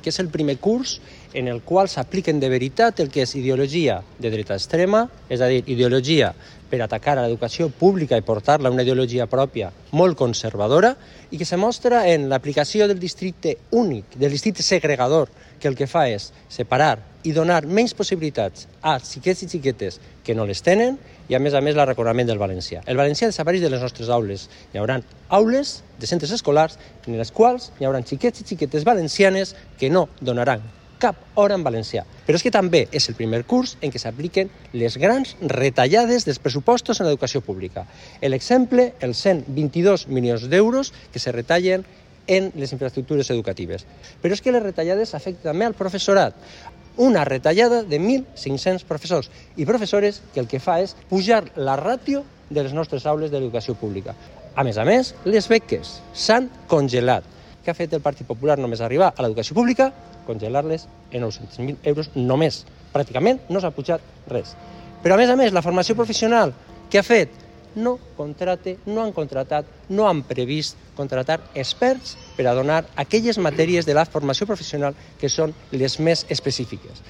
que és el primer curs en el qual s'apliquen de veritat el que és ideologia de dreta extrema, és a dir, ideologia per atacar a l'educació pública i portar-la a una ideologia pròpia molt conservadora, i que se mostra en l'aplicació del districte únic, del districte segregador, que el que fa és separar i donar menys possibilitats a xiquets i xiquetes que no les tenen, i a més l'arraconament del valencià. El valencià desapareix de les nostres aules. Hi haurà aules de centres escolars en les quals hi haurà xiquets i xiquetes valencianes que no donaran cap hora en valencià. Però és que també és el primer curs en què s'apliquen les grans retallades dels pressupostos en l'educació pública. L'exemple, els 122 milions d'euros que se retallen en les infraestructures educatives. Però és que les retallades afecten també al professorat. Una retallada de 1.500 professors i professores que el que fa és pujar la ràtio de les nostres aules d'educació pública. A més, les beques s'han congelat. Què ha fet el Partit Popular només arribar a l'educació pública? Congelar-les en 900.000 euros només. Pràcticament no s'ha pujat res. Però a més, la formació professional, què ha fet? No han contratat, no han previst contratar experts per a donar aquelles matèries de la formació professional que són les més específiques.